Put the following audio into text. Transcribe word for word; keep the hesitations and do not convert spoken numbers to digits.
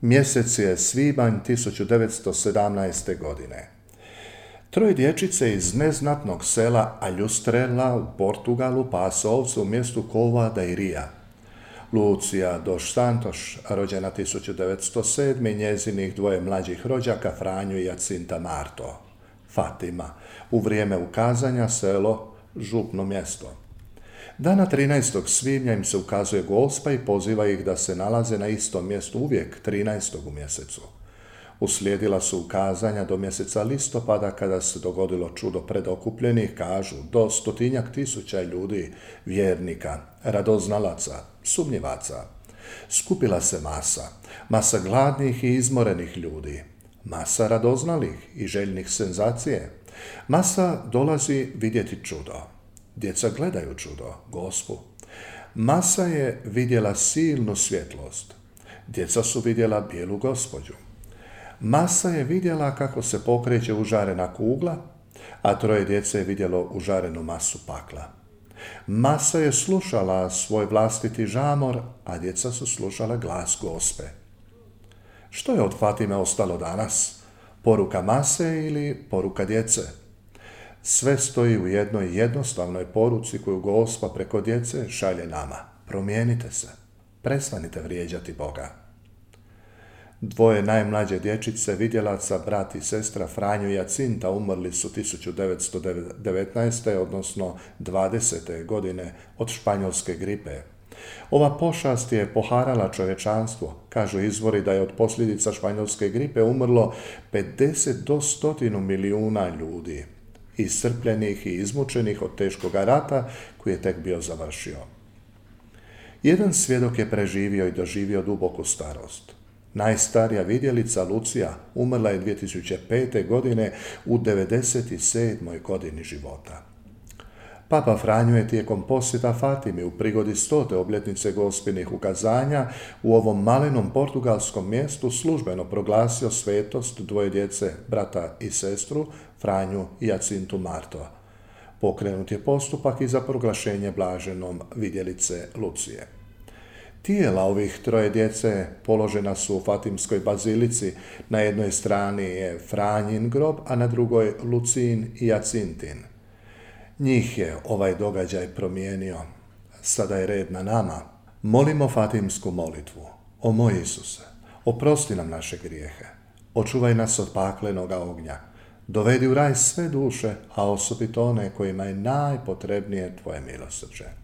Mjesec je svibanj tisuću devetsto sedamnaeste. godine. Troje dječice iz neznatnog sela Aljustrela u Portugalu pase ovce u mjestu Cova da Iria. Lucija dos Santos, rođena tisuću devetsto sedme. i njezinih dvoje mlađih rođaka Franju i Jacinta Marto. Fatima, u vrijeme ukazanja selo, župno mjesto. Dana trinaestog svibnja im se ukazuje Gospa i poziva ih da se nalaze na istom mjestu uvijek trinaestog u mjesecu. Uslijedila su ukazanja do mjeseca listopada kada se dogodilo čudo predokupljenih, kažu, do stotinjak tisuća ljudi, vjernika, radoznalaca, sumnjivaca. Skupila se masa, masa gladnih i izmorenih ljudi, masa radoznalih i željnih senzacije. Masa dolazi vidjeti čudo. Djeca gledaju čudo, Gospu. Masa je vidjela silnu svjetlost. Djeca su vidjela bijelu gospođu. Masa je vidjela kako se pokreće užarena kugla, a troje djece je vidjelo užarenu masu pakla. Masa je slušala svoj vlastiti žamor, a djeca su slušala glas Gospe. Što je od Fatime ostalo danas? Poruka mase ili poruka djece? Sve stoji u jednoj jednostavnoj poruci koju Gospa preko djece šalje nama. Promijenite se. Prestanite vrijeđati Boga. Dvoje najmlađe dječice, vidjelaca, brat i sestra Franju i Jacinta, umrli su tisuću devetsto devetnaeste. odnosno dvadesete. godine od španjolske gripe. Ova pošast je poharala čovječanstvo. Kažu izvori da je od posljedica španjolske gripe umrlo pedeset do stotinu milijuna ljudi, iscrpljenih i izmučenih od teškoga rata koji je tek bio završio. Jedan svjedok je preživio i doživio duboku starost. Najstarija vidjelica Lucija umrla je dvije tisuće pete. godine u devedeset sedmoj. godini života. Papa Franjo je tijekom posjeta Fatimi u prigodi stote obljetnice Gospinih ukazanja u ovom malenom portugalskom mjestu službeno proglasio svetost dvoje djece, brata i sestru, Franju i Jacintu Marto. Pokrenut je postupak i za proglašenje blaženom vidjelice Lucije. Tijela ovih troje djece položena su u Fatimskoj bazilici. Na jednoj strani je Franjin grob, a na drugoj Lucin i Jacintin. Njih je ovaj događaj promijenio. Sada je red na nama. Molimo Fatimsku molitvu. O moj Isuse, oprosti nam naše grijehe. Očuvaj nas od paklenoga ognja. Dovedi u raj sve duše, a osobito one kojima je najpotrebnije tvoje milosrđe.